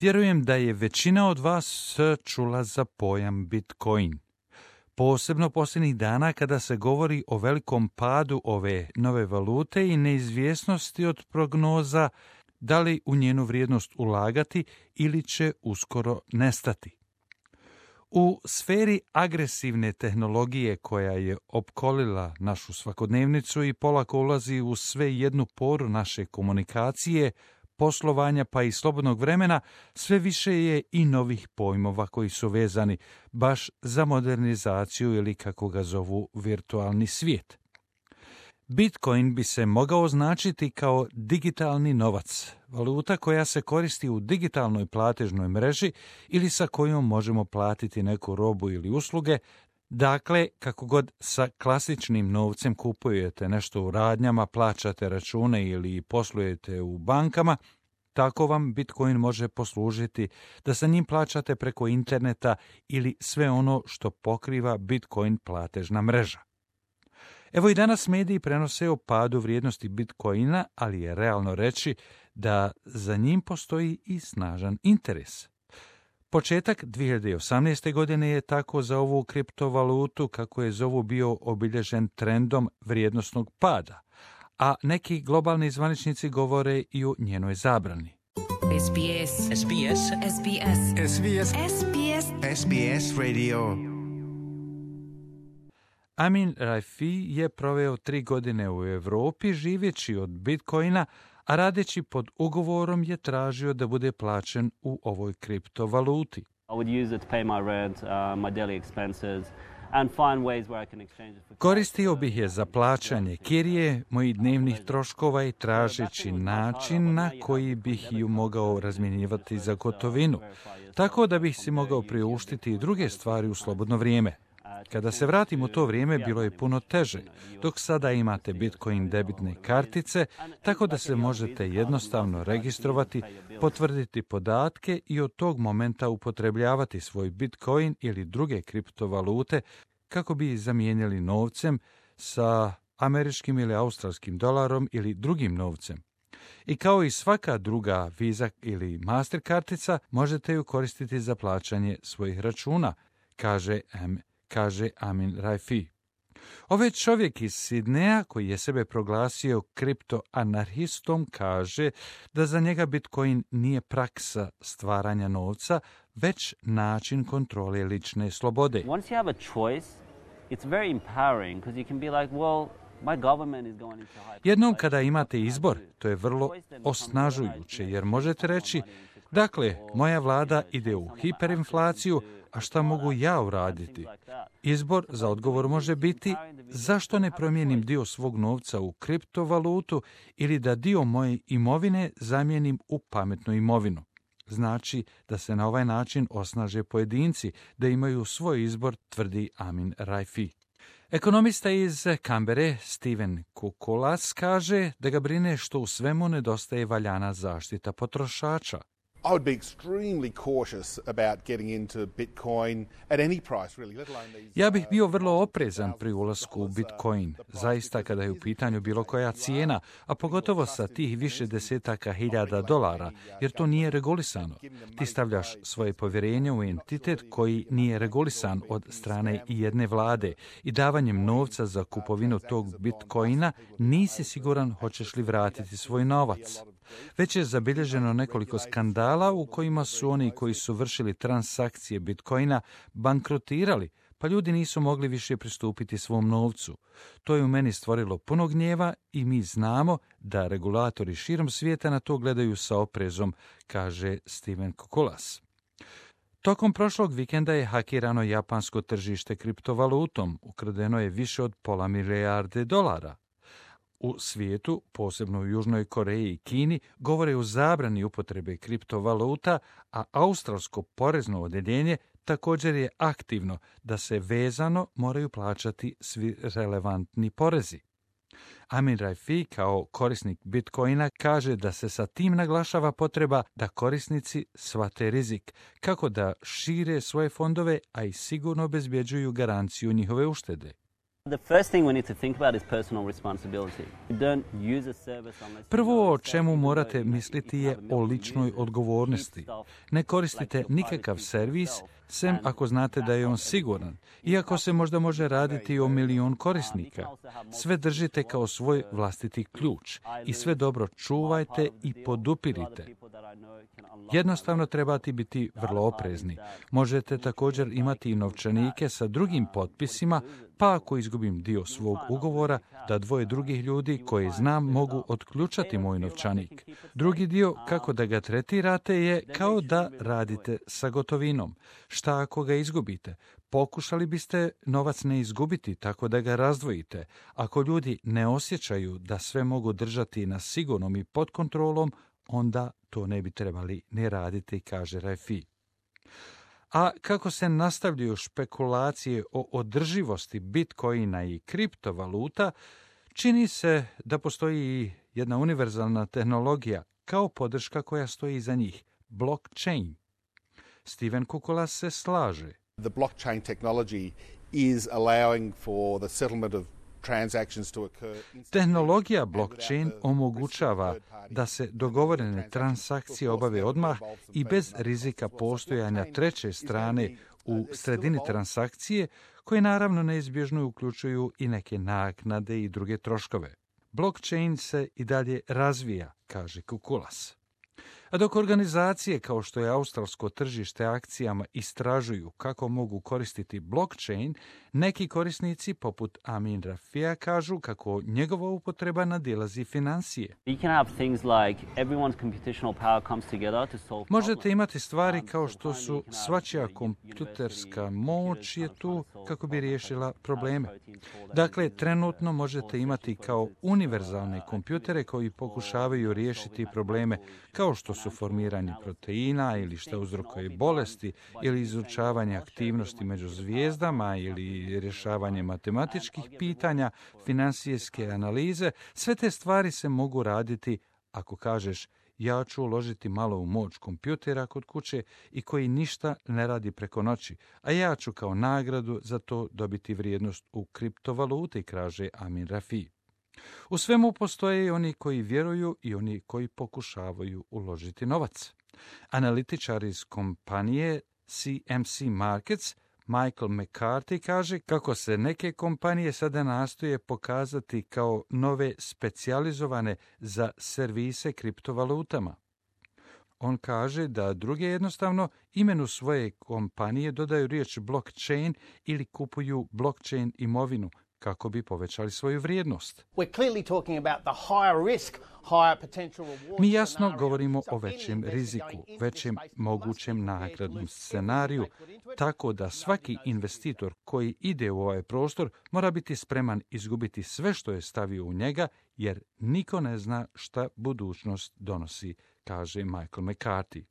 Vjerujem da je većina od vas čula za pojam Bitcoin. Posebno posljednjih dana kada se govori o velikom padu ove nove valute i neizvjesnosti od prognoza da li u njenu vrijednost ulagati ili će uskoro nestati. U sferi agresivne tehnologije koja je opkolila našu svakodnevnicu i polako ulazi u sve jednu poru naše komunikacije, poslovanja pa i slobodnog vremena, sve više je i novih pojmova koji su vezani baš za modernizaciju ili kako ga zovu virtualni svijet. Bitcoin bi se mogao označiti kao digitalni novac, valuta koja se koristi u digitalnoj platežnoj mreži ili sa kojom možemo platiti neku robu ili usluge. Dakle, kako god sa klasičnim novcem kupujete nešto u radnjama, plaćate račune ili poslujete u bankama, tako vam Bitcoin može poslužiti da sa njim plaćate preko interneta ili sve ono što pokriva Bitcoin platežna mreža. Evo i danas mediji prenose o padu vrijednosti Bitcoina, ali je realno reći da za njim postoji i snažan interes. Početak 2018. godine je tako za ovu kriptovalutu, kako je zovu, bio obilježen trendom vrijednosnog pada, a neki globalni zvaničnici govore i o njenoj zabrani. SBS Radio. Amin Raifi je proveo 3 godine u Europi živeći od Bitcoina, a radeći pod ugovorom je tražio da bude plaćen u ovoj kriptovaluti. Koristio bih je za plaćanje kirije, mojih dnevnih troškova i tražeći način na koji bih ju mogao razmjenjivati za gotovinu, tako da bih si mogao priuštiti i druge stvari u slobodno vrijeme. Kada se vratim u to vrijeme, bilo je puno teže, dok sada imate Bitcoin debitne kartice, tako da se možete jednostavno registrovati, potvrditi podatke i od tog momenta upotrebljavati svoj Bitcoin ili druge kriptovalute kako bi ih zamijenili novcem sa američkim ili australskim dolarom ili drugim novcem. I kao i svaka druga Visa ili Master kartica, možete ju koristiti za plaćanje svojih računa, kaže Amin Raifi. Ovaj čovjek iz Sidneja, koji je sebe proglasio kriptoanarhistom, kaže da za njega Bitcoin nije praksa stvaranja novca, već način kontrole lične slobode. Jednom kada imate izbor, to je vrlo osnažujuće, jer možete reći, dakle, moja vlada ide u hiperinflaciju, a šta mogu ja uraditi? Izbor za odgovor može biti zašto ne promijenim dio svog novca u kriptovalutu ili da dio moje imovine zamijenim u pametnu imovinu. Znači da se na ovaj način osnaže pojedinci, da imaju svoj izbor, tvrdi Amin Raifi. Ekonomista iz Kambere, Steven Kukulas, kaže da ga brine što u svemu nedostaje valjana zaštita potrošača. I would be extremely cautious about getting into Bitcoin at any price, really, let alone these. Ja bih bio vrlo oprezan pri ulasku u Bitcoin, zaista kada je u pitanju bilo koja cijena, a pogotovo sa tih više desetaka hiljada dolara, jer to nije regulisano. Ti stavljaš svoje povjerenje u entitet koji nije regulisan od strane i jedne vlade i davanjem novca za kupovinu tog Bitcoina nisi siguran hoćeš li vratiti svoj novac. Već je zabilježeno nekoliko skandala u kojima su oni koji su vršili transakcije Bitcoina bankrotirali, pa ljudi nisu mogli više pristupiti svom novcu. To je u meni stvorilo puno gnjeva i mi znamo da regulatori širom svijeta na to gledaju sa oprezom, kaže Steven Kukulas. Tokom prošlog vikenda je hakirano japansko tržište kriptovalutom, ukradeno je više od $500 milijarde. U svijetu, posebno u Južnoj Koreji i Kini, govore o zabrani upotrebe kriptovaluta, a australsko porezno odjeljenje također je aktivno da se vezano moraju plaćati svi relevantni porezi. Amin Raifi kao korisnik Bitcoina kaže da se sa tim naglašava potreba da korisnici shvate rizik, kako da šire svoje fondove, a i sigurno obezbjeđuju garanciju njihove uštede. Prvo o čemu morate misliti je o ličnoj odgovornosti. Ne koristite nikakav servis, sem ako znate da je on siguran, iako se možda može raditi o 1.000.000 korisnika. Sve držite kao svoj vlastiti ključ i sve dobro čuvajte i podupirite. Jednostavno trebate biti vrlo oprezni. Možete također imati i novčanike sa drugim potpisima, pa ako izgubim dio svog ugovora, da 2 drugih ljudi koji znam mogu otključati moj novčanik. Drugi dio, kako da ga tretirate, je kao da radite sa gotovinom. Šta ako ga izgubite? Pokušali biste novac ne izgubiti tako da ga razdvojite. Ako ljudi ne osjećaju da sve mogu držati na sigurnom i pod kontrolom, onda to ne bi trebali ni raditi, kaže Rafi. A kako se nastavljaju špekulacije o održivosti bitcoina i kriptovaluta, čini se da postoji jedna univerzalna tehnologija kao podrška koja stoji iza njih, blockchain. Steven Kukulas se slaže. The blockchain technology is allowing for the settlement of transactions to occur. Tehnologija blockchain omogućava da se dogovorene transakcije obave odmah i bez rizika postojanja treće strane u sredini transakcije, koje naravno neizbježno uključuju i neke naknade i druge troškove. Blockchain se i dalje razvija, kaže Kukulas. A dok organizacije kao što je australsko tržište akcijama istražuju kako mogu koristiti blockchain, neki korisnici poput Amin Rafija kažu kako njegova upotreba nadilazi financije. Možete imati stvari kao što su svačija kompjuterska moć je tu kako bi riješila probleme. Dakle, trenutno možete imati kao univerzalne kompjutere koji pokušavaju riješiti probleme kao što su formiranje proteina ili što uzrokuje bolesti ili izučavanje aktivnosti među zvijezdama ili rješavanje matematičkih pitanja, financijske analize. Sve te stvari se mogu raditi ako kažeš ja ću uložiti malo u moć kompjutera kod kuće i koji ništa ne radi preko noći, a ja ću kao nagradu za to dobiti vrijednost u kriptovaluti, kaže Amin Rafi. U svemu postoje i oni koji vjeruju i oni koji pokušavaju uložiti novac. Analitičar iz kompanije CMC Markets Michael McCarthy kaže kako se neke kompanije sada nastoje pokazati kao nove specijalizovane za servise kriptovalutama. On kaže da druge jednostavno imenu svoje kompanije dodaju riječ blockchain ili kupuju blockchain imovinu kako bi povećali svoju vrijednost. Mi jasno govorimo o većem riziku, većem mogućem nagradnom scenariju, tako da svaki investitor koji ide u ovaj prostor mora biti spreman izgubiti sve što je stavio u njega, jer niko ne zna šta budućnost donosi, kaže Michael McCarthy.